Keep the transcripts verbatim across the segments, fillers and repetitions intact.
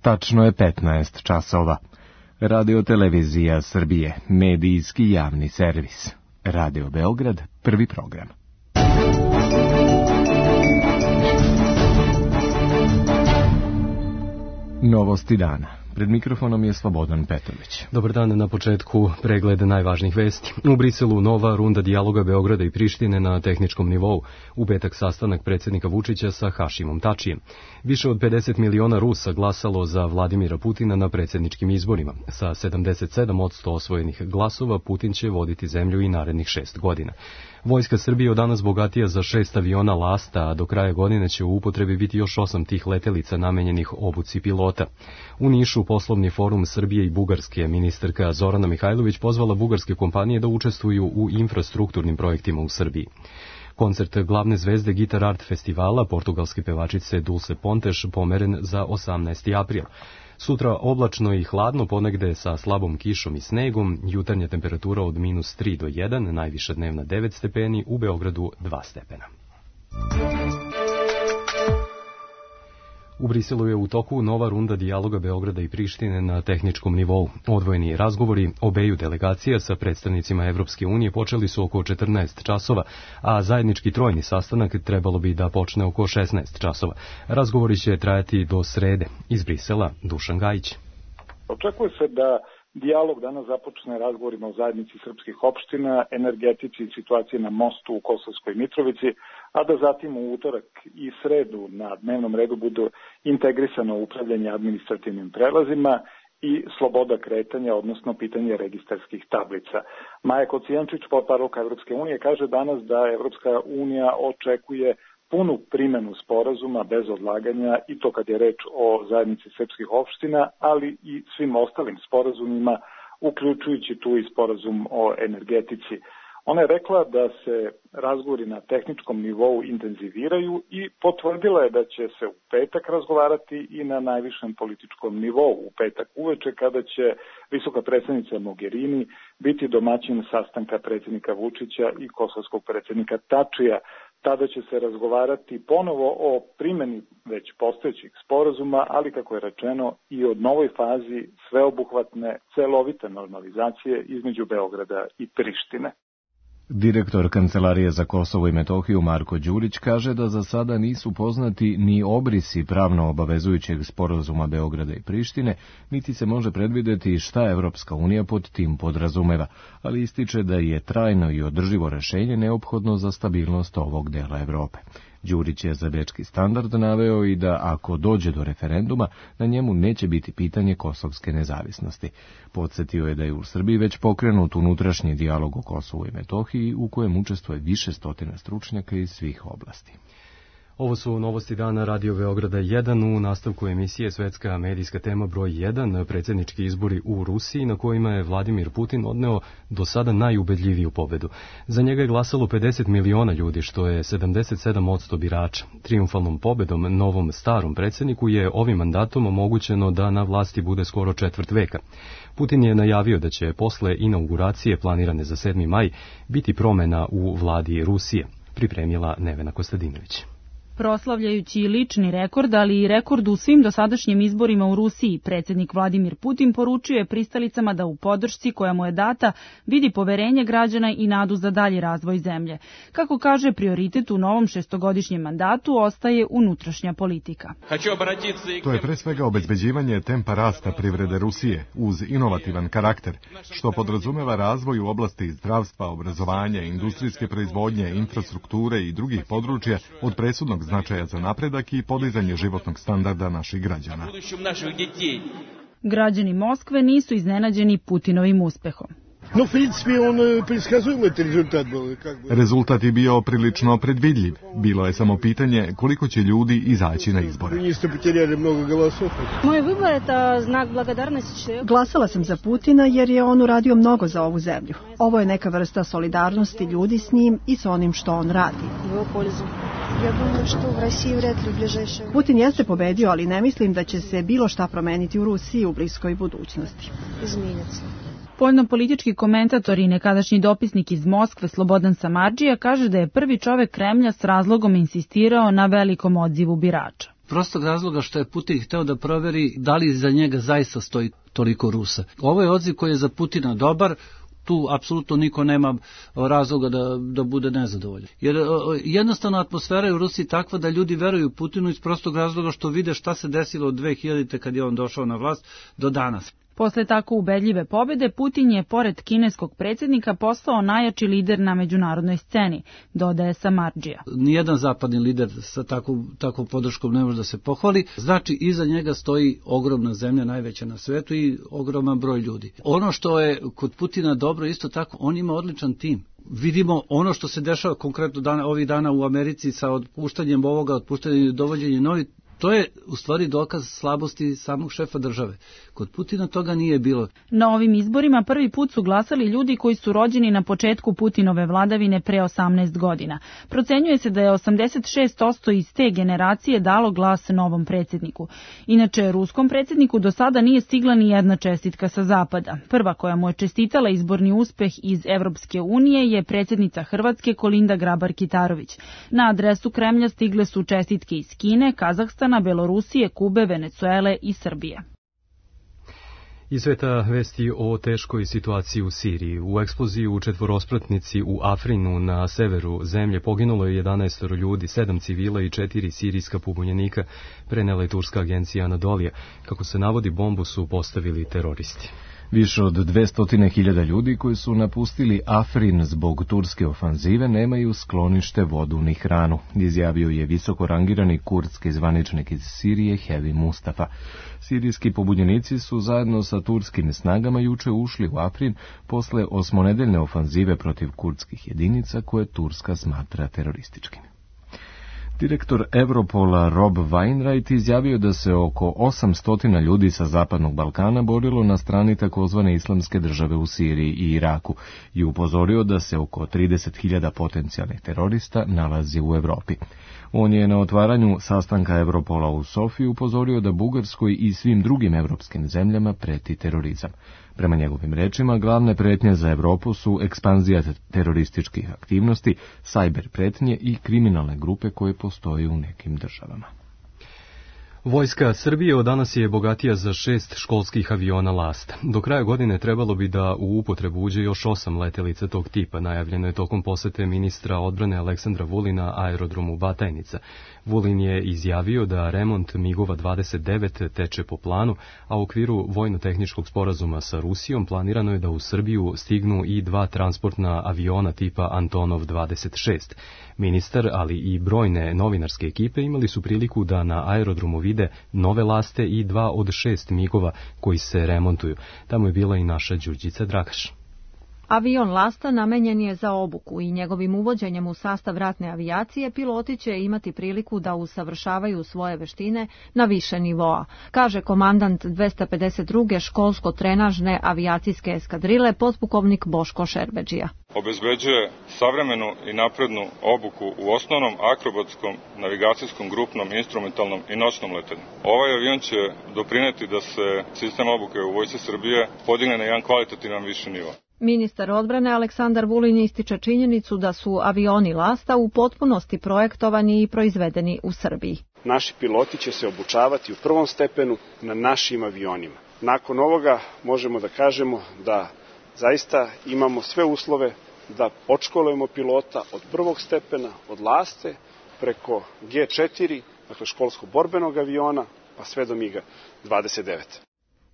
Tačno je petnaest časova. Radio Televizija Srbije, medijski javni servis. Radio Beograd, prvi program. Novosti dana. Pred mikrofonom je Slobodan Petrović. Dobar dan, na početku pregled najvažnijih vesti. U Briselu nova runda dijaloga Beograda i Prištine na tehničkom nivou. U petak sastanak predsjednika Vučića sa Hašimom Tačijem. Više od pedeset miliona Rusa glasalo za Vladimira Putina na predsjedničkim izborima. Sa sedamdeset sedam posto osvojenih glasova Putin će voditi zemlju i narednih šest godina. Vojska Srbije od danas bogatija za šest aviona Lasta, a do kraja godine će u upotrebi biti još osam tih letelica namenjenih obuci pilota. U Nišu poslovni forum Srbije i Bugarske ministarka Zorana Mihajlović pozvala bugarske kompanije da učestvuju u infrastrukturnim projektima u Srbiji. Koncert glavne zvezde Guitar Art festivala, portugalske pevačice Dulce Pontes, pomeren za osamnaesti april. Sutra oblačno i hladno, ponegde sa slabom kišom i snegom, jutarnja temperatura od minus tri do jedan, najviša dnevna devet stepeni, u Beogradu dva stepena. U Briselu je u toku nova runda dijaloga Beograda i Prištine na tehničkom nivou. Odvojeni razgovori obeju delegacija sa predstavnicima Evropske unije počeli su oko četrnaest časova, a zajednički trojni sastanak trebalo bi da počne oko šesnaest časova. Razgovori će trajati do srede. Iz Brisela, Dušan Gajić. Očekuje se da dijalog danas započne razgovorima o zajednici srpskih opština, energetici i situaciji na mostu u Kosovskoj Mitrovici, a da zatim u utorak i sredu na dnevnom redu bude integrisano upravljanje administrativnim prelazima i sloboda kretanja, odnosno pitanje registarskih tablica. Maja Kocijančić, portparolka Evropske unije, kaže danas da Evropska unija očekuje punu primjenu sporazuma bez odlaganja, i to kad je reč o zajednici srpskih opština, ali i svim ostalim sporazumima, uključujući tu i sporazum o energetici. Ona je rekla da se razgovori na tehničkom nivou intenziviraju i potvrdila je da će se u petak razgovarati i na najvišem političkom nivou. U petak uveče, kada će visoka predsjednica Mogherini biti domaćin sastanka predsjednika Vučića i kosovskog predsjednika Tačija. Tada će se razgovarati ponovo o primjeni već postojećih sporazuma, ali kako je rečeno i o novoj fazi sveobuhvatne, celovite normalizacije između Beograda i Prištine. Direktor Kancelarije za Kosovo i Metohiju Marko Đurić kaže da za sada nisu poznati ni obrisi pravno obavezujućeg sporazuma Beograda i Prištine, niti se može predvideti šta Evropska unija pod tim podrazumeva, ali ističe da je trajno i održivo rešenje neophodno za stabilnost ovog dela Evrope. Đurić je za Bečki standard naveo i da ako dođe do referenduma, na njemu neće biti pitanje kosovske nezavisnosti. Podsjetio je da je u Srbiji već pokrenut unutrašnji dijalog o Kosovu i Metohiji, u kojem učestvuje više stotina stručnjaka iz svih oblasti. Ovo su novosti dana Radio Beograda jedan. U nastavku emisije svetska medijska tema broj jedan, predsjednički izbori u Rusiji, na kojima je Vladimir Putin odneo do sada najubedljiviju pobedu. Za njega je glasalo pedeset miliona ljudi, što je sedamdeset sedam posto birača. Trijumfalnom pobedom novom starom predsjedniku je ovim mandatom omogućeno da na vlasti bude skoro četvrt veka. Putin je najavio da će posle inauguracije planirane za sedmi maj biti promjena u vladi Rusije, pripremila Nevena Kostadinović. Proslavljajući lični rekord, ali i rekord u svim dosadašnjim izborima u Rusiji, predsjednik Vladimir Putin poručio je pristalicama da u podršci koja mu je data vidi poverenje građana i nadu za dalji razvoj zemlje. Kako kaže, prioritet u novom šestogodišnjem mandatu ostaje unutrašnja politika. To je pre svega obezbeđivanje tempa rasta privrede Rusije uz inovativan karakter, što podrazumeva razvoj u oblasti zdravstva, obrazovanja, industrijske proizvodnje, infrastrukture i drugih područja od presudnog značaja za napredak i podizanje životnog standarda naših građana. Građani Moskve nisu iznenađeni Putinovim uspehom. No, v principi, on предсказуемый rezultat был. Rezultat je bio prilično predvidljiv. Bilo je samo pitanje koliko će ljudi izaći na izbore. Moj выбор это знак благодарности. Glasala sam za Putina jer je on uradio mnogo za ovu zemlju. Ovo je neka vrsta solidarnosti ljudi s njim i s onim što on radi. Putin jeste pobedio, ali ne mislim da će se bilo šta promeniti u Rusiji u bliskoj budućnosti. Spoljnopolitički komentator i nekadašnji dopisnik iz Moskve Slobodan Samardžija kaže da je prvi čovek Kremlja s razlogom insistirao na velikom odzivu birača. prostog razloga što je Putin hteo da proveri da li za njega zaista stoji toliko Rusa. Ovo je odziv koji je za Putina dobar, tu apsolutno niko nema razloga da, da bude nezadovoljan. Jer jednostavno atmosfera je u Rusiji takva da ljudi veruju Putinu iz prostog razloga što vide šta se desilo od dve hiljadite kad je on došao na vlast do danas. Posle tako ubedljive pobede, Putin je, pored kineskog predsjednika, postao najjači lider na međunarodnoj sceni, dodaje Samardžija. Nijedan zapadni lider sa takvom, takvom podrškom ne može da se pohvali. Znači, iza njega stoji ogromna zemlja, najveća na svetu i ogroman broj ljudi. Ono što je kod Putina dobro, isto tako, on ima odličan tim. Vidimo ono što se dešava konkretno dana, ovih dana u Americi sa otpuštanjem ovoga, otpuštanjem i dovođenjem novih. To je u stvari dokaz slabosti samog šefa države. Kod Putina toga nije bilo. Na ovim izborima prvi put su glasali ljudi koji su rođeni na početku Putinove vladavine pre osamnaest godina. Procenjuje se da je osamdeset šest posto iz te generacije dalo glas novom predsjedniku. Inače, ruskom predsjedniku do sada nije stigla ni jedna čestitka sa zapada. Prva koja mu je čestitala izborni uspeh iz Evropske unije je predsjednica Hrvatske Kolinda Grabar-Kitarović. Na adresu Kremlja stigle su čestitke iz Kine, Kazahstana, Belorusije, Kube, Venecuele i Srbije. Iz sveta vesti o teškoj situaciji u Siriji. U eksploziji u četvorospratnici u Afrinu na severu zemlje poginulo je jedanaest ljudi, sedam civila i četiri sirijska pobunjenika, prenela je turska agencija Anadolija. Kako se navodi, bombu su postavili teroristi. Više od dvesta hiljada ljudi koji su napustili Afrin zbog turske ofanzive nemaju sklonište, vodu ni hranu, izjavio je visoko rangirani kurdski zvaničnik iz Sirije Hevi Mustafa. Sirijski pobunjenici su zajedno sa turskim snagama juče ušli u Afrin posle osmonedeljne ofanzive protiv kurdskih jedinica koje Turska smatra terorističkim. Direktor Europola Rob Wainwright izjavio da se oko osamsto ljudi sa Zapadnog Balkana borilo na strani takozvane islamske države u Siriji i Iraku i upozorio da se oko trideset hiljada potencijalnih terorista nalazi u Evropi. On je na otvaranju sastanka Europola u Sofiji upozorio da Bugarskoj i svim drugim evropskim zemljama preti terorizam. Prema njegovim rečima, glavne pretnje za Evropu su ekspanzija terorističkih aktivnosti, sajber pretnje i kriminalne grupe koje postoje u nekim državama. Vojska Srbije od danas je bogatija za šest školskih aviona Lasta. Do kraja godine trebalo bi da u upotrebu uđe još osam letelica tog tipa, najavljeno je tokom posete ministra odbrane Aleksandra Vulina aerodromu Batajnica. Vulin je izjavio da remont migova dvadeset devet teče po planu, a u okviru vojno-tehničkog sporazuma sa Rusijom planirano je da u Srbiju stignu i dva transportna aviona tipa Antonov dvadeset šest. Ministar, ali i brojne novinarske ekipe imali su priliku da na aerodromu vide nove Laste i dva od šest migova koji se remontuju. Tamo je bila i naša Đurđica Dragaš. Avion Lasta namenjen je za obuku i njegovim uvođenjem u sastav ratne avijacije piloti će imati priliku da usavršavaju svoje veštine na više nivoa, kaže komandant dvesta pedeset druge školsko-trenažne avijacijske eskadrile podpukovnik Boško Šerbedžija. Obezbeđuje savremenu i naprednu obuku u osnovnom akrobatskom, navigacijskom, grupnom, instrumentalnom i noćnom letanju. Ovaj avion će doprineti da se sistem obuke u Vojsci Srbije podigne na jedan kvalitativan viši nivo. Ministar odbrane Aleksandar Vulin ističe činjenicu da su avioni Lasta u potpunosti projektovani i proizvedeni u Srbiji. Naši piloti će se obučavati u prvom stepenu na našim avionima. Nakon ovoga možemo da kažemo da zaista imamo sve uslove da odškolujemo pilota od prvog stepena, od Laste, preko G četiri, dakle školsko-borbenog aviona, pa sve do miga dvadeset devet.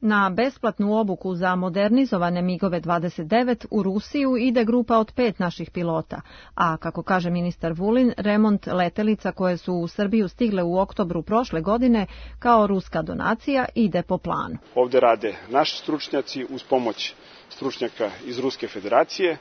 Na besplatnu obuku za modernizovane migove dvadeset devet u Rusiju ide grupa od pet naših pilota, a kako kaže ministar Vulin, remont letelica koje su u Srbiju stigle u oktobru prošle godine kao ruska donacija ide po planu. Ovde rade naši stručnjaci uz pomoć stručnjaka iz Ruske federacije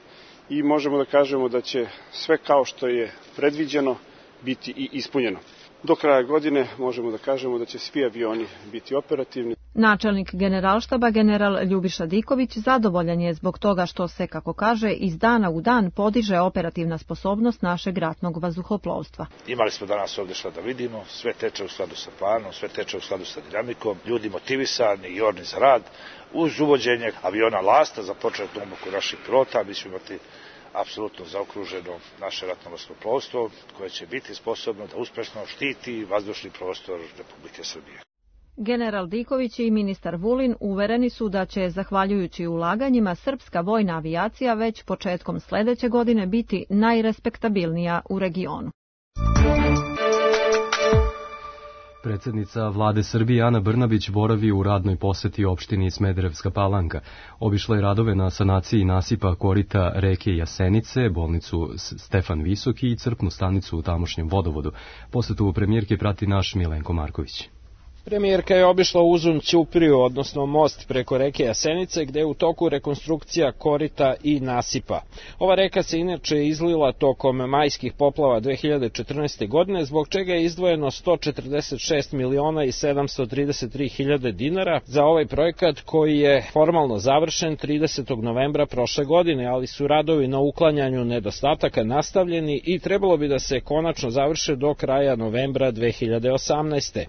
i možemo da kažemo da će sve kao što je predviđeno biti i ispunjeno. Do kraja godine možemo da kažemo da će svi avioni biti operativni. Načelnik generalštaba general Ljubiša Diković zadovoljan je zbog toga što se, kako kaže, iz dana u dan podiže operativna sposobnost našeg ratnog vazduhoplovstva. Imali smo danas ovde šta da vidimo, sve teče u skladu sa planom, sve teče u skladu sa dinamikom, ljudi motivisani i orni za rad. Uz uvođenje aviona Lasta za početnu obuku naših pilota, mi ćemo imati apsolutno zaokruženo naše ratno vazduhoplovstvo koje će biti sposobno da uspešno štiti vazdušni prostor Republike Srbije. General Diković i ministar Vulin uvereni su da će, zahvaljujući ulaganjima, srpska vojna avijacija već početkom sledeće godine biti najrespektabilnija u regionu. Predsednica vlade Srbije Ana Brnabić boravi u radnoj poseti opštini Smederevska Palanka. Obišla je radove na sanaciji nasipa korita reke Jasenice, bolnicu Stefan Visoki i crpnu stanicu u tamošnjem vodovodu. Posetu premijerke prati naš Milenko Marković. Premijerka je obišla Uzun Ćupriju, odnosno most preko reke Jasenice, gde je u toku rekonstrukcija korita i nasipa. Ova reka se inače izlila tokom majskih poplava dve hiljade četrnaeste. godine, zbog čega je izdvojeno sto četrdeset šest miliona i sedamsto trideset tri hiljade dinara za ovaj projekat koji je formalno završen tridesetog novembra prošle godine, ali su radovi na uklanjanju nedostataka nastavljeni i trebalo bi da se konačno završe do kraja novembra dve hiljade osamnaeste.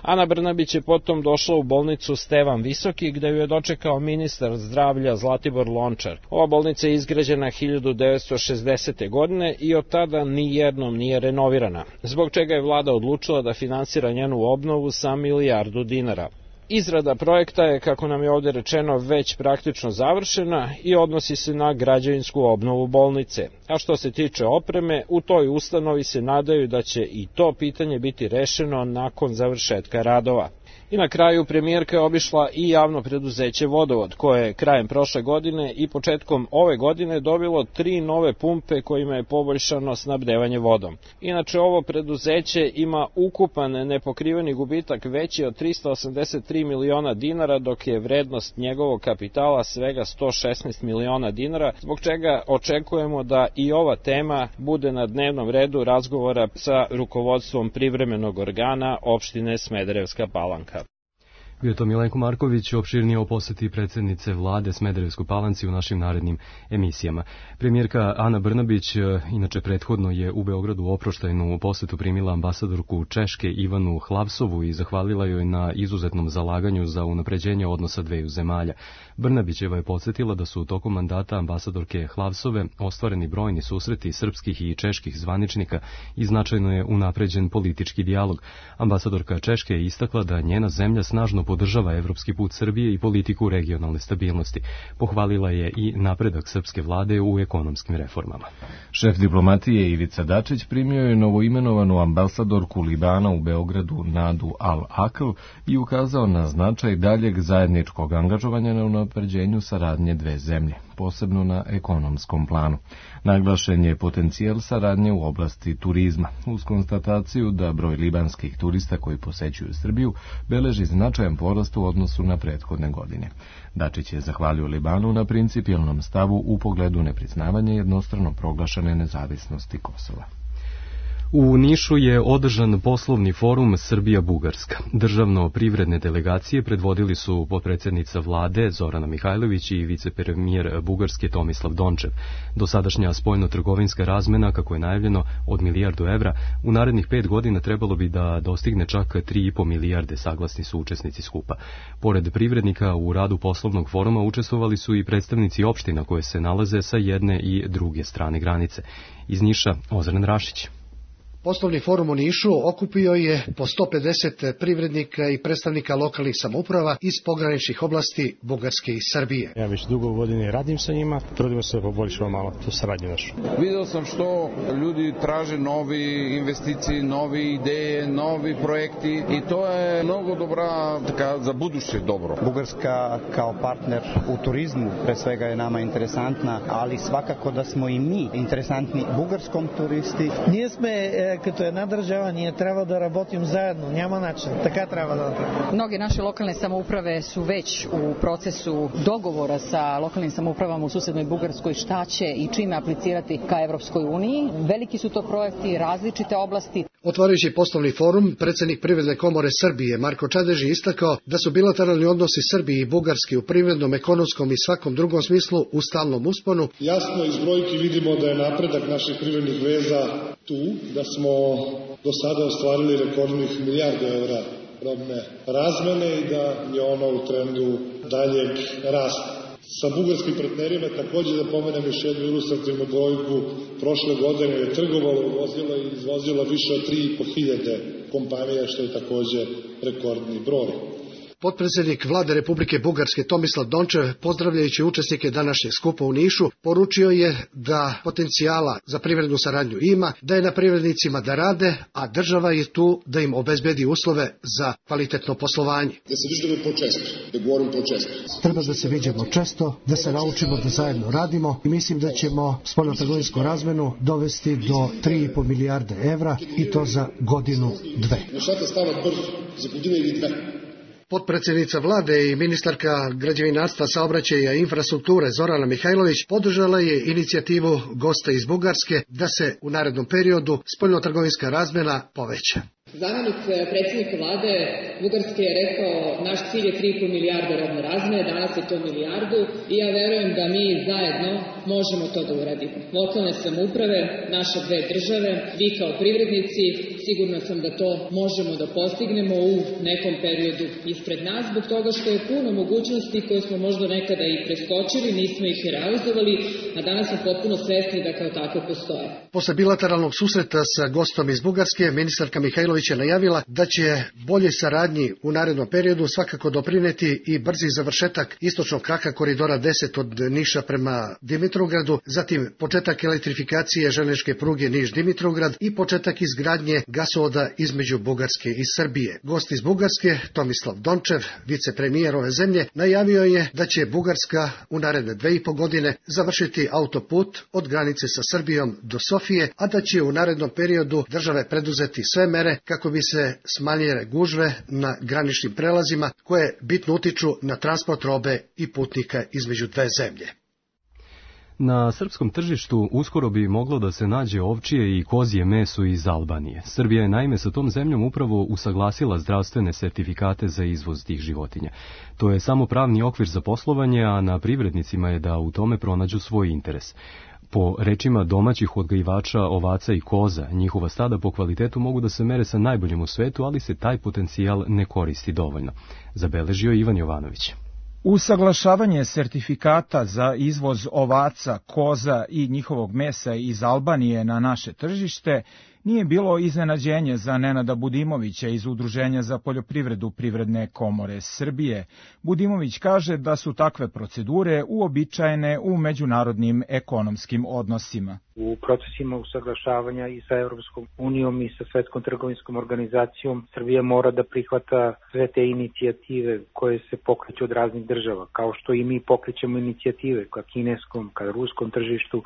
Ana Brnabić je potom došla u bolnicu Stevan Visoki, gde ju je dočekao ministar zdravlja Zlatibor Lončar. Ova bolnica je izgrađena hiljadu devetsto šezdesete. godine i od tada ni jednom nije renovirana, zbog čega je vlada odlučila da finansira njenu obnovu sa milijardu dinara. Izrada projekta je, kako nam je ovdje rečeno, već praktično završena i odnosi se na građevinsku obnovu bolnice. A što se tiče opreme, u toj ustanovi se nadaju da će i to pitanje biti rešeno nakon završetka radova. I na kraju premijerka je obišla i javno preduzeće Vodovod, koje je krajem prošle godine i početkom ove godine dobilo tri nove pumpe kojima je poboljšano snabdevanje vodom. Inače, ovo preduzeće ima ukupan nepokriveni gubitak veći od trista osamdeset tri miliona dinara, dok je vrednost njegovog kapitala svega sto šesnaest miliona dinara, zbog čega očekujemo da i ova tema bude na dnevnom redu razgovora sa rukovodstvom privremenog organa opštine Smederevska Palanka. Bio je to Milenko Marković, opširnije o poseti predsjednice vlade Smederevskoj Palanci u našim narednim emisijama. Premijerka Ana Brnabić, inače prethodno je u Beogradu oproštajnu posetu primila ambasadorku Češke Ivanu Hlavsovu i zahvalila joj na izuzetnom zalaganju za unapređenje odnosa dveju zemalja. Brnabićeva je podsjetila da su tokom mandata ambasadorke Hlavsove ostvareni brojni susreti srpskih i čeških zvaničnika i značajno je unapređen politički dijalog. Ambasadorka Češke je istakla da njena zemlja snažno podržava evropski put Srbije i politiku regionalne stabilnosti. Pohvalila je i napredak srpske vlade u ekonomskim reformama. Šef diplomatije Ivica Dačić primio je novoimenovanu ambasadorku Libana u Beogradu Nadu Al-Akl i ukazao na značaj daljeg zajedničkog angažovanja na unapređenju saradnje dve zemlje, posebno na ekonomskom planu. Naglašen je potencijal saradnje u oblasti turizma, uz konstataciju da broj libanskih turista koji posećuju Srbiju beleži značajan porast u odnosu na prethodne godine. Dačić je zahvalio Libanu na principijelnom stavu u pogledu nepriznavanja jednostrano proglašene nezavisnosti Kosova. U Nišu je održan poslovni forum Srbija-Bugarska. Državno-privredne delegacije predvodili su potpredsjednica vlade Zorana Mihajlović i vicepremijer Bugarske Tomislav Dončev. Dosadašnja spoljno-trgovinska razmena, kako je najavljeno, od milijardu evra, u narednih pet godina trebalo bi da dostigne čak tri i po milijarde, saglasni su učesnici skupa. Pored privrednika u radu poslovnog foruma učestvovali su i predstavnici opština koje se nalaze sa jedne i druge strane granice. Iz Niša, Ozren Rašić. Poslovni forum u Nišu okupio je po sto pedeset privrednika i predstavnika lokalnih samouprava iz pograničnih oblasti Bugarske i Srbije. Ja već dugo godine radim sa njima, trudimo se da poboljšamo malo tu saradnju našu. Video sam što ljudi traže novi investicije, nove ideje, novi projekti i to je mnogo dobra, така, za buduće dobro. Bugarska kao partner u turizmu pre svega je nama interesantna, ali svakako da smo i mi interesantni bugarskom turisti. Ние сме като една държава, ние трябва да работим заедно, няма начин, така трябва да направим. Mnoge naše lokalne samouprave su već u procesu dogovora sa lokalnim samoupravama u susednoj Bugarskoj šta će i čime aplicirati ka Evropskoj uniji. Veliki su to projekti, različite oblasti. Otvarajući poslovni forum, predsjednik Privredne komore Srbije Marko Čadež je istakao da su bilateralni odnosi Srbije i Bugarske u privrednom, ekonomskom i svakom drugom smislu u stalnom usponu. Jasno iz brojki vidimo da je napredak naših privrednih veza tu, da smo do sada ostvarili rekordnih milijardu evra robne razmene i da je ono u trendu daljeg rasta. Sa bugarskim partnerima takođe da pomenem još jednu ilustrativnu brojku, prošle godine je trgovalo, uvozila i izvozila više od tri i po hiljade kompanija, što je takođe rekordni broj. Potpredsjednik vlade Republike Bugarske Tomislav Dončev, pozdravljajući učesnike današnjeg skupa u Nišu, poručio je da potencijala za privrednu saradnju ima, da je na privrednicima da rade, a država je tu da im obezbedi uslove za kvalitetno poslovanje. Da se viđamo počesto, da govorim počesto. Treba da se viđamo često, da se naučimo da zajedno radimo i mislim da ćemo spoljnotrgovinsku razmenu dovesti do tri i po milijarde evra i to za godinu, dve. Nešata stava brzo, za godinu ili dve. Potpredsjednica vlade i ministarka građevinarstva, saobraćaja i infrastrukture Zorana Mihajlović podržala je inicijativu gosta iz Bugarske da se u narednom periodu spoljnotrgovinska razmjena poveća. Zamjenik predsjednika vlade Bugarske je rekao naš cilj je tri i po milijarde robne razmjene, danas je to milijardu i ja verujem da mi zajedno možemo to da uradimo. Lokalne samouprave, naše dve države, vi kao privrednici, sigurno sam da to možemo da postignemo u nekom periodu ispred nas, zbog toga što je puno mogućnosti koje smo možda nekada i preskočili, nismo ih i realizovali, a danas smo potpuno svesni da kao tako postoje. Posle bilateralnog susreta sa gostom iz Bugarske, ministarka Mihajlović je najavila da će bolje saradnji u narednom periodu svakako doprineti i brzi završetak istočnog kraka koridora deset od Niša prema Dimitrovgradu, zatim početak elektrifikacije železničke pruge Niš-Dimitrovgrad i početak izgradnje gasovoda između Bugarske i Srbije. Gost iz Bugarske, Tomislav Dončev, vicepremijer ove zemlje, najavio je da će Bugarska u naredne dve i po godine završiti autoput od granice sa Srbijom do Sofije, a da će u narednom periodu države preduzeti sve mere kako bi se smanjile gužve na graničnim prelazima koje bitno utiču na transport robe i putnika između dve zemlje. Na srpskom tržištu uskoro bi moglo da se nađe ovčije i kozje meso iz Albanije. Srbija je naime sa tom zemljom upravo usaglasila zdravstvene sertifikate za izvoz tih životinja. To je samo pravni okvir za poslovanje, a na privrednicima je da u tome pronađu svoj interes. Po rečima domaćih odgajivača ovaca i koza, njihova stada po kvalitetu mogu da se mere sa najboljim u svetu, ali se taj potencijal ne koristi dovoljno. Zabeležio Ivan Jovanović. Usaglašavanje sertifikata za izvoz ovaca, koza i njihovog mesa iz Albanije na naše tržište nije bilo iznenađenje za Nenada Budimovića iz Udruženja za poljoprivredu Privredne komore Srbije. Budimović kaže da su takve procedure uobičajene u međunarodnim ekonomskim odnosima. U procesima usaglašavanja i sa Evropskom unijom i sa Svetskom trgovinskom organizacijom Srbija mora da prihvata sve te inicijative koje se pokreću od raznih država, kao što i mi pokrećemo inicijative ka kineskom, ka ruskom tržištu.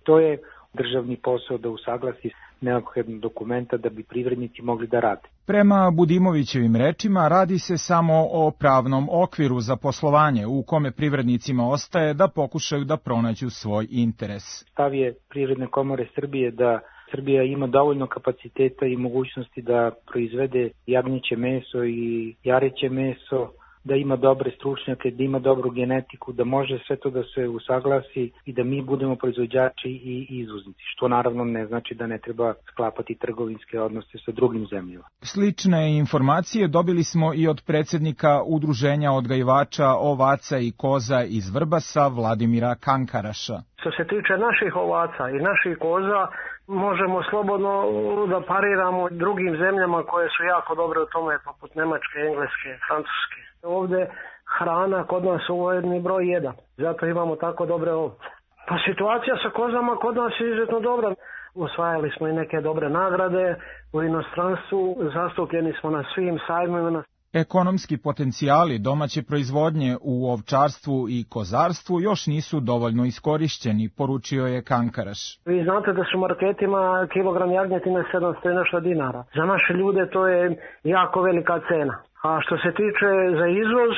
To je državni posao da usaglasi neophodne dokumenta da bi privrednici mogli da rade. Prema Budimovićevim rečima radi se samo o pravnom okviru za poslovanje u kome privrednicima ostaje da pokušaju da pronađu svoj interes. Stav je Privredne komore Srbije da Srbija ima dovoljno kapaciteta i mogućnosti da proizvede jagnjeće meso i jareće meso, da ima dobre stručnjake, da ima dobru genetiku, da može sve to da se usaglasi i da mi budemo proizvođači i izvoznici, što naravno ne znači da ne treba sklapati trgovinske odnose sa drugim zemljama. Slične informacije dobili smo i od predsjednika Udruženja odgajivača ovaca i koza iz Vrbasa, Vladimira Kankaraša. Što se tiče naših ovaca i naših koza, možemo slobodno da pariramo drugim zemljama koje su jako dobre u tome, poput Nemačke, Engleske, Francuske. Ovde hrana kod nas je ujedni broj jedan, zato imamo tako dobre ovce. Pa situacija sa kozama kod nas je izuzetno dobra. Osvajali smo i neke dobre nagrade u inostranstvu, zastupljeni smo na svim sajmovima. Ekonomski potencijali domaće proizvodnje u ovčarstvu i kozarstvu još nisu dovoljno iskorišćeni, poručio je Kankaraš. Vi znate da su marketima kilogram jagnjetine sedamsto i nešto dinara. Za naše ljude to je jako velika cena. A što se tiče za izvoz,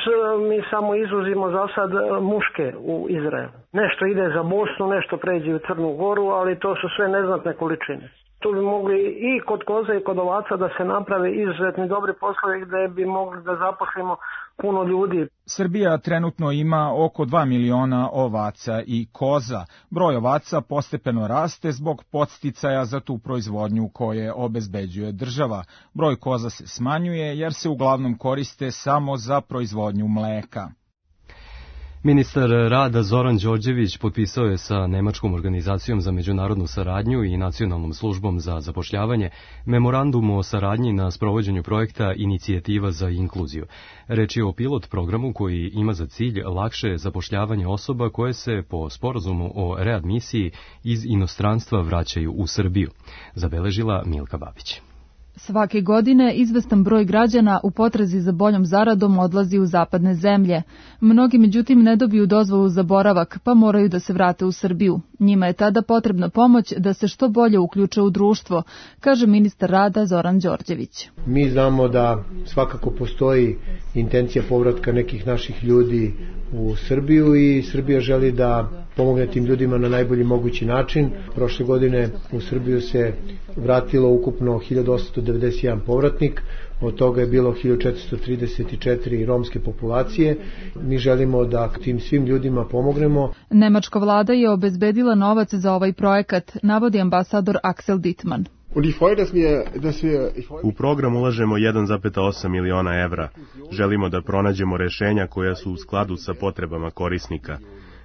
mi samo izvozimo za sad muške u Izrael. Nešto ide za Bosnu, nešto pređe u Crnu Goru, ali to su sve neznatne količine. Tu bi mogli i kod koza i kod ovaca da se naprave izuzetni dobri poslovi gde bi mogli da zaposlimo puno ljudi. Srbija trenutno ima oko dva miliona ovaca i koza. Broj ovaca postepeno raste zbog podsticaja za tu proizvodnju koje obezbeđuje država. Broj koza se smanjuje jer se uglavnom koriste samo za proizvodnju mleka. Ministar rada Zoran Đorđević potpisao je sa Nemačkom organizacijom za međunarodnu saradnju i Nacionalnom službom za zapošljavanje memorandum o saradnji na sprovođenju projekta Inicijativa za inkluziju. Reč je o pilot programu koji ima za cilj lakše zapošljavanje osoba koje se po sporazumu o readmisiji iz inostranstva vraćaju u Srbiju, zabeležila Milka Babić. Svake godine izvestan broj građana u potrazi za boljom zaradom odlazi u zapadne zemlje. Mnogi međutim ne dobiju dozvolu za boravak, pa moraju da se vrate u Srbiju. Njima je tada potrebna pomoć da se što bolje uključe u društvo, kaže ministar rada Zoran Đorđević. Mi znamo da svakako postoji intencija povratka nekih naših ljudi u Srbiju i Srbija želi da pomogne tim ljudima na najbolji mogući način. Prošle godine u Srbiju se vratilo ukupno hiljadu osamsto devedeset jedan povratnik, od toga je bilo hiljadu četiristo trideset četiri romske populacije. Mi želimo da tim svim ljudima pomognemo. Nemačka vlada je obezbedila novac za ovaj projekat, navodi ambasador Axel Dittmann. U program ulažemo jedan zarez osam miliona evra. Želimo da pronađemo rešenja koja su u skladu sa potrebama korisnika.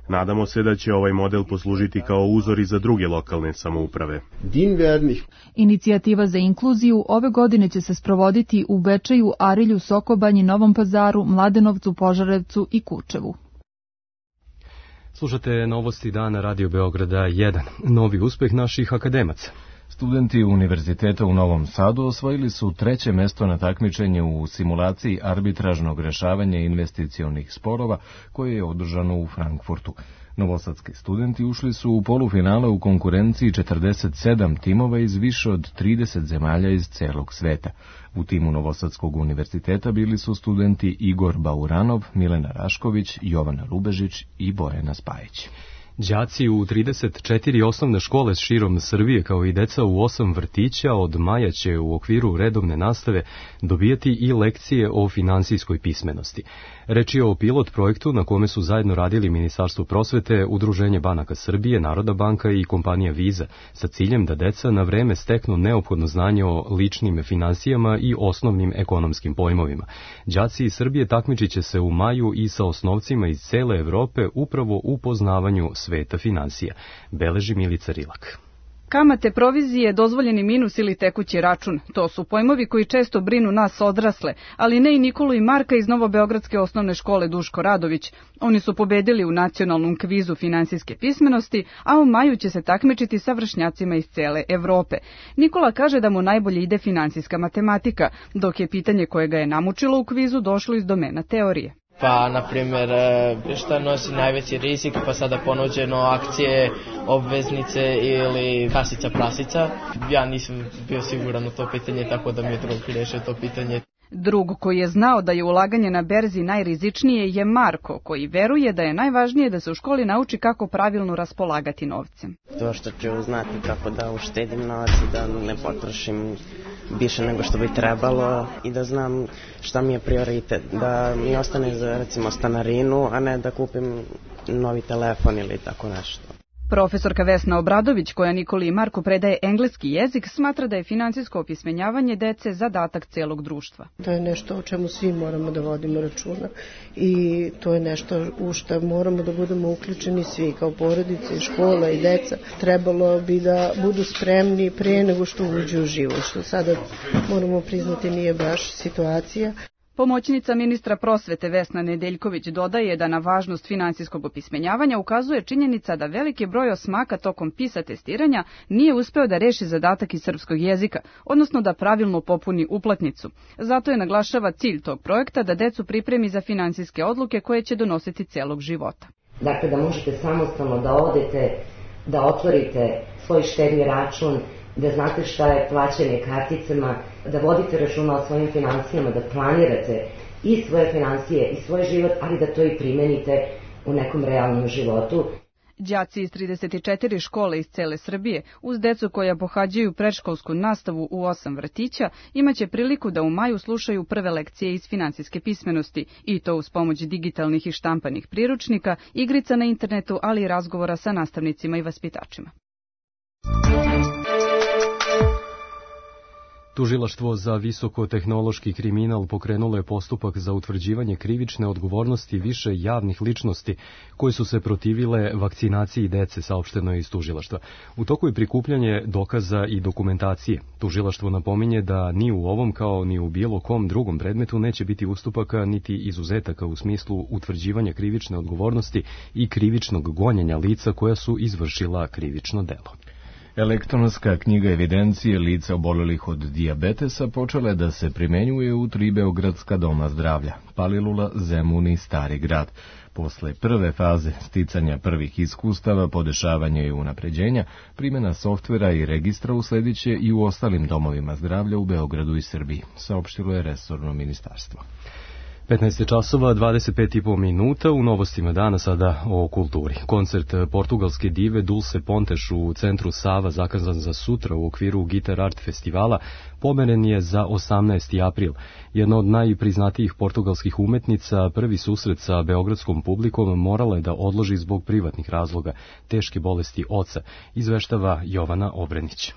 Nadamo se da će ovaj model poslužiti kao uzor i za druge lokalne samouprave. Inicijativa za inkluziju ove godine će se sprovoditi u Bečeju, Arilju, Sokobanji, Novom Pazaru, Mladenovcu, Požarevcu i Kučevu. Slušate novosti dana Radio Beograda jedan. Novi uspeh naših akademaca. Studenti Univerziteta u Novom Sadu osvojili su treće mesto na takmičenju u simulaciji arbitražnog rešavanja investicionih sporova koje je održano u Frankfurtu. Novosadski studenti ušli su u polufinale u konkurenciji četrdeset sedam timova iz više od trideset zemalja iz celog sveta. U timu Novosadskog univerziteta bili su studenti Igor Bauranov, Milena Rašković, Jovana Rubežić i Bojana Spajić. Đaci u trideset četiri osnovne škole širom Srbije, kao i deca u osam vrtića, od maja će u okviru redovne nastave dobijati i lekcije o finansijskoj pismenosti. Reč je o pilot projektu na kome su zajedno radili Ministarstvo prosvete, Udruženje banaka Srbije, Narodna banka i kompanija Viza, sa ciljem da deca na vreme steknu neophodno znanje o ličnim finansijama i osnovnim ekonomskim pojmovima. Đaci iz Srbije takmičit će se u maju i sa osnovcima iz cele Evrope upravo u poznavanju sveta finansija, beleži Milica Rilak. Kamate, provizije, dozvoljeni minus ili tekući račun. To su pojmovi koji često brinu nas odrasle, ali ne i Nikolu i Marka iz Novobeogradske osnovne škole Duško Radović. Oni su pobedili u nacionalnom kvizu finansijske pismenosti, a u maju će se takmičiti sa vršnjacima iz cele Evrope. Nikola kaže da mu najbolje ide finansijska matematika, dok je pitanje koje ga je namučilo u kvizu došlo iz domena teorije. Pa, na primjer, šta nosi najveći rizik, pa sada ponuđeno akcije, obveznice ili kasica prasica. Ja nisam bio siguran u to pitanje, tako da mi je drug rešio to pitanje. Drug koji je znao da je ulaganje na berzi najrizičnije je Marko, koji veruje da je najvažnije da se u školi nauči kako pravilno raspolagati novcem. To što ću znati kako da uštedim novac i da ne potrošim više nego što bi trebalo i da znam šta mi je prioritet, da mi ostane za recimo stanarinu, a ne da kupim novi telefon ili tako nešto. Profesorka Vesna Obradović, koja Nikoli i Marku predaje engleski jezik, smatra da je finansijsko opismenjavanje dece zadatak celog društva. To je nešto o čemu svi moramo da vodimo računa i to je nešto u što moramo da budemo uključeni svi, kao porodice, škola i deca. Trebalo bi da budu spremni prije nego što uđu u život, što sada moramo priznati nije baš situacija. Pomoćnica ministra prosvete Vesna Nedeljković dodaje da na važnost finansijskog opismenjavanja ukazuje činjenica da veliki broj osmaka tokom PISA testiranja nije uspeo da reši zadatak iz srpskog jezika, odnosno da pravilno popuni uplatnicu. Zato je naglašava cilj tog projekta da decu pripremi za finansijske odluke koje će donositi celog života. Dakle, da možete samostalno da odete, da otvorite svoj štedni račun, da znate šta je plaćanje karticama, da vodite računa o svojim financijama, da planirate i svoje financije i svoj život, ali da to i primenite u nekom realnom životu. Đaci iz trideset četiri škole iz cele Srbije, uz decu koja pohađaju predškolsku nastavu u osam vrtića, imaće priliku da u maju slušaju prve lekcije iz finansijske pismenosti, i to uz pomoć digitalnih i štampanih priručnika, igrica na internetu, ali i razgovora sa nastavnicima i vaspitačima. Tužilaštvo za visokotehnološki kriminal pokrenulo je postupak za utvrđivanje krivične odgovornosti više javnih ličnosti koje su se protivile vakcinaciji dece, saopšteno je iz tužilaštva. U toku je prikupljanje dokaza i dokumentacije. Tužilaštvo napominje da ni u ovom kao ni u bilo kom drugom predmetu neće biti ustupaka niti izuzetaka u smislu utvrđivanja krivične odgovornosti i krivičnog gonjenja lica koja su izvršila krivično delo. Elektronska knjiga evidencije lica obolelih od dijabetesa počela je da se primenjuje u tri beogradska doma zdravlja, Palilula, Zemun i Stari grad. Posle prve faze sticanja prvih iskustava, podešavanja i unapređenja, primjena softvera i registra uslediće i u ostalim domovima zdravlja u Beogradu i Srbiji, saopštilo je resorno ministarstvo. petnaest časova, dvadeset pet i po minuta, u novostima dana sada o kulturi. Koncert portugalske dive Dulce Pontes u centru Sava, zakazan za sutra u okviru Guitar Art festivala, pomeren je za osamnaesti april. Jedna od najpriznatijih portugalskih umetnica, prvi susret sa beogradskom publikom morala je da odloži zbog privatnih razloga, teške bolesti oca, izveštava Jovana Obrenić.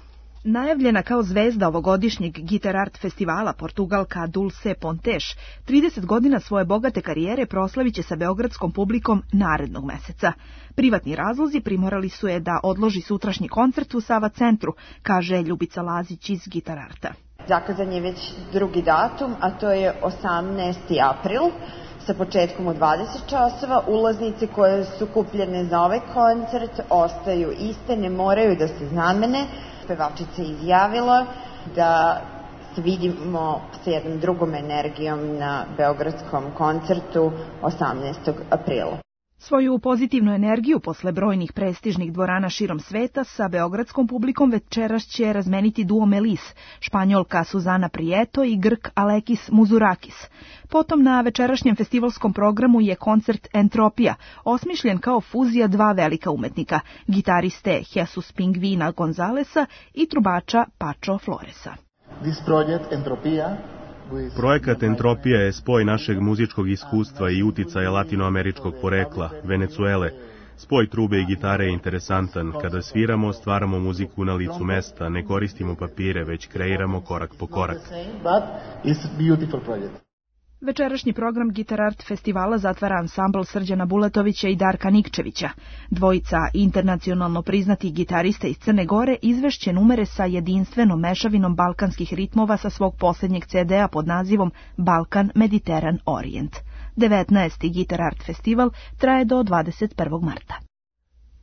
Najavljena kao zvezda ovogodišnjeg Guitar Art festivala, Portugalka Dulce Pontes trideset godina svoje bogate karijere proslavit će sa beogradskom publikom narednog meseca. Privatni razlozi primorali su je da odloži sutrašnji koncert u Sava centru, kaže Ljubica Lazić iz Guitar Arta. Zakazan je već drugi datum, a to je osamnaesti april. Sa početkom u dvadeset časova, ulaznice koje su kupljene za ovaj koncert ostaju iste, ne moraju da se zamene. Pevačica je izjavila da se vidimo sa jednom drugom energijom na beogradskom koncertu osamnaestog aprila. Svoju pozitivnu energiju posle brojnih prestižnih dvorana širom sveta sa beogradskom publikom večeras će razmeniti duo Melis, Španjolka Suzana Prieto i Grk Alekis Muzurakis. Potom na večerašnjem festivalskom programu je koncert Entropija, osmišljen kao fuzija dva velika umetnika, gitariste Jesus Pingvina Gonzalesa i trubača Pacho Floresa. This project Entropija Projekat Entropija je spoj našeg muzičkog iskustva i uticaja latinoameričkog porekla, Venecuele. Spoj trube i gitare je interesantan. Kada sviramo, stvaramo muziku na licu mesta, ne koristimo papire, već kreiramo korak po korak. Večerašnji program Guitar Art festivala zatvara ansambl Srđana Bulatovića i Darka Nikčevića. Dvojica internacionalno priznatih gitarista iz Crne Gore izvešće numere sa jedinstvenom mešavinom balkanskih ritmova sa svog posljednjeg ce de a pod nazivom Balkan Mediteran Orient. devetnaesti. Guitar Art festival traje do dvadeset prvog marta.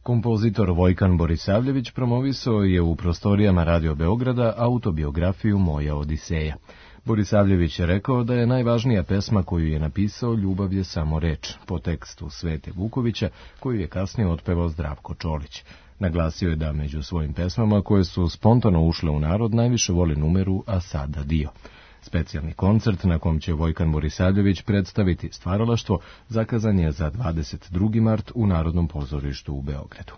Kompozitor Vojkan Borisavljević promovisao je u prostorijama Radio Beograda autobiografiju Moja Odiseja. Borisavljević je rekao da je najvažnija pesma koju je napisao Ljubav je samo reč, po tekstu Svete Vukovića, koju je kasnije otpevao Zdravko Čolić. Naglasio je da među svojim pesmama koje su spontano ušle u narod najviše voli numeru A sada dio. Specijalni koncert na kom će Vojkan Borisavljević predstaviti stvaralaštvo zakazan je za dvadeset drugi mart u Narodnom pozorištu u Beogradu.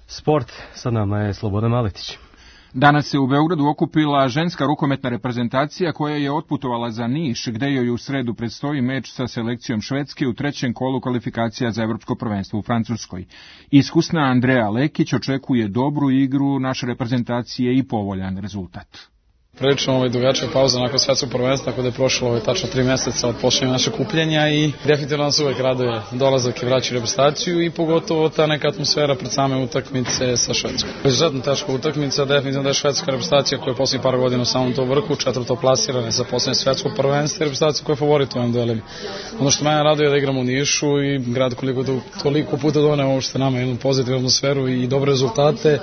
Sport, sa nama je Slobodan Maletić. Danas se u Beogradu okupila ženska rukometna reprezentacija koja je otputovala za Niš, gde joj u sredu predstoji meč sa selekcijom Švedske u trećem kolu kvalifikacija za evropsko prvenstvo u Francuskoj. Iskusna Andrea Lekić očekuje dobru igru naše reprezentacije i povoljan rezultat. Prilično ovaj dugačka pauza nakon svetskog prvenstva, tako da je prošlo ovaj tačno tri meseca od počinjenja našeg kupljenja i definitivno nas uvek raduje dolazak i vraćanje reprezentaciju i pogotovo ta neka atmosfera pred same utakmice sa Švedskom. Izuzetno teška utakmica, definitivno da je švedska reprezentacija koja je posljednjih par godina u samom to vrhu, četvrto plasirane sa posljednje svetskog prvenstva i reprezentacija koja je favorit u ovim duelima. Ono što mene raduje je da igramo u Nišu i grad koliko to, toliko puta doneo uopšte nama jednu pozitivnu atmosferu i dobre rezultate.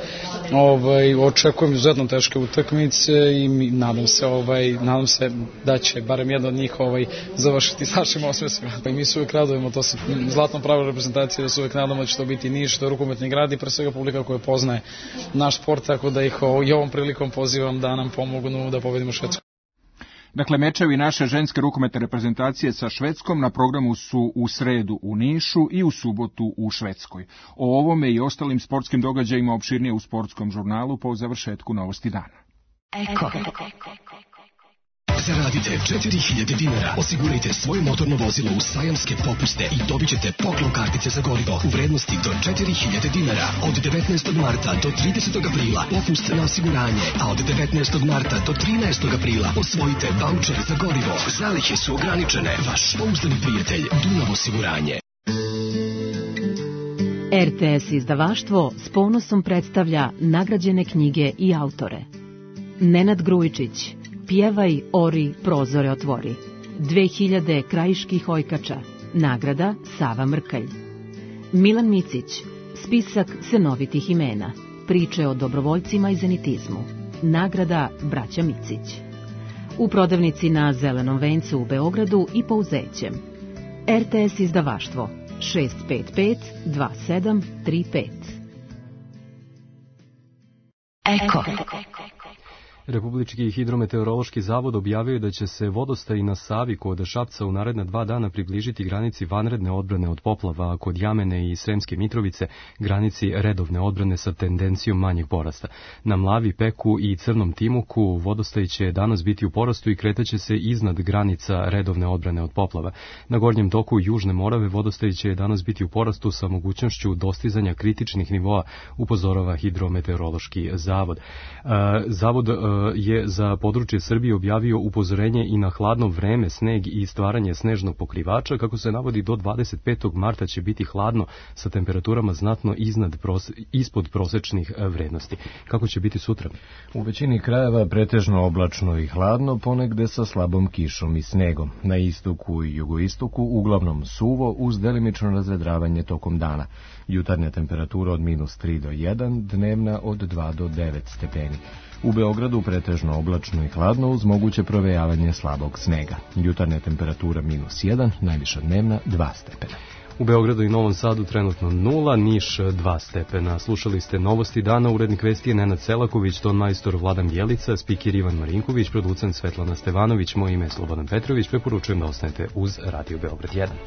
Ovaj, očekujem izuzetno teške utakmice i nadam se ovaj nadam se da će barem jedna od njih ovaj završiti s našim osmesima. I mi se uvijek radujemo, to se zlatno pravilo reprezentacije, da se uvijek nadamo da će to biti Niš, to je rukometni grad i pre svega publika koja poznaje naš sport, tako da ih i ovom prilikom pozivam da nam pomognu da pobedimo Švedsku. Dakle, mečevi naše ženske rukometne reprezentacije sa Švedskom na programu su u sredu u Nišu i u subotu u Švedskoj. O ovome i ostalim sportskim događajima opširnije u sportskom žurnalu po završetku Novosti dana. Eko. Zaradite četiri hiljade dinara. Osigurajte svoje motorno vozilo u sajamske popuste i dobit ćete poklon kartice za gorivo u vrednosti do četiri hiljade dinara. Od devetnaestog marta do tridesetog aprila popust na osiguranje, a od devetnaestog marta do trinaestog aprila osvojite vaučer za gorivo. Zalihe su ograničene. Vaš pouzdani prijatelj Dunav osiguranje. R T S izdavaštvo s ponosom predstavlja nagrađene knjige i autore. Nenad Grujičić, Pjevaj, ori, prozore otvori. dve hiljade krajiških ojkača. Nagrada Sava Mrkalj. Milan Micić, Spisak senovitih imena. Priče o dobrovoljcima i zenitizmu. Nagrada Braća Micić. U prodavnici na Zelenom vencu u Beogradu i Pouzećem. R T S izdavaštvo šest pet pet dva sedam tri pet. Eko. Republički hidrometeorološki zavod objavio je da će se vodostaj na Savi kod Šapca u naredna dva dana približiti granici vanredne odbrane od poplava, a kod Jamene i Sremske Mitrovice granici redovne odbrane sa tendencijom manjeg porasta. Na Mlavi, Peku i Crnom Timuku vodostaj će danas biti u porastu i kretaće se iznad granica redovne odbrane od poplava. Na gornjem toku Južne Morave vodostaj će danas biti u porastu sa mogućnošću dostizanja kritičnih nivoa, upozorava hidrometeorološki zavod. Zavod je za područje Srbije objavio upozorenje i na hladno vreme, sneg i stvaranje snežnog pokrivača. Kako se navodi, do dvadeset petog marta će biti hladno sa temperaturama znatno iznad prose, ispod prosečnih vrednosti. Kako će biti sutra? U većini krajeva pretežno oblačno i hladno, ponegde sa slabom kišom i snegom. Na istoku i jugoistoku uglavnom suvo uz delimično razvedravanje tokom dana. Jutarnja temperatura od minus tri do jedan, dnevna od dva do devet stepeni. U Beogradu pretežno oblačno i hladno uz moguće provejavanje slabog snega. Jutarnja temperatura minus jedan, najviša dnevna dva stepena. U Beogradu i Novom Sadu trenutno nula, Niš dva stepena. Slušali ste Novosti dana, urednik vesti je Nenad Selaković, ton majstor Vladan Bjelica, spiker Ivan Marinković, producent Svetlana Stevanović, moje ime je Slobodan Petrović. Preporučujem da ostanete uz Radio Beograd jedan.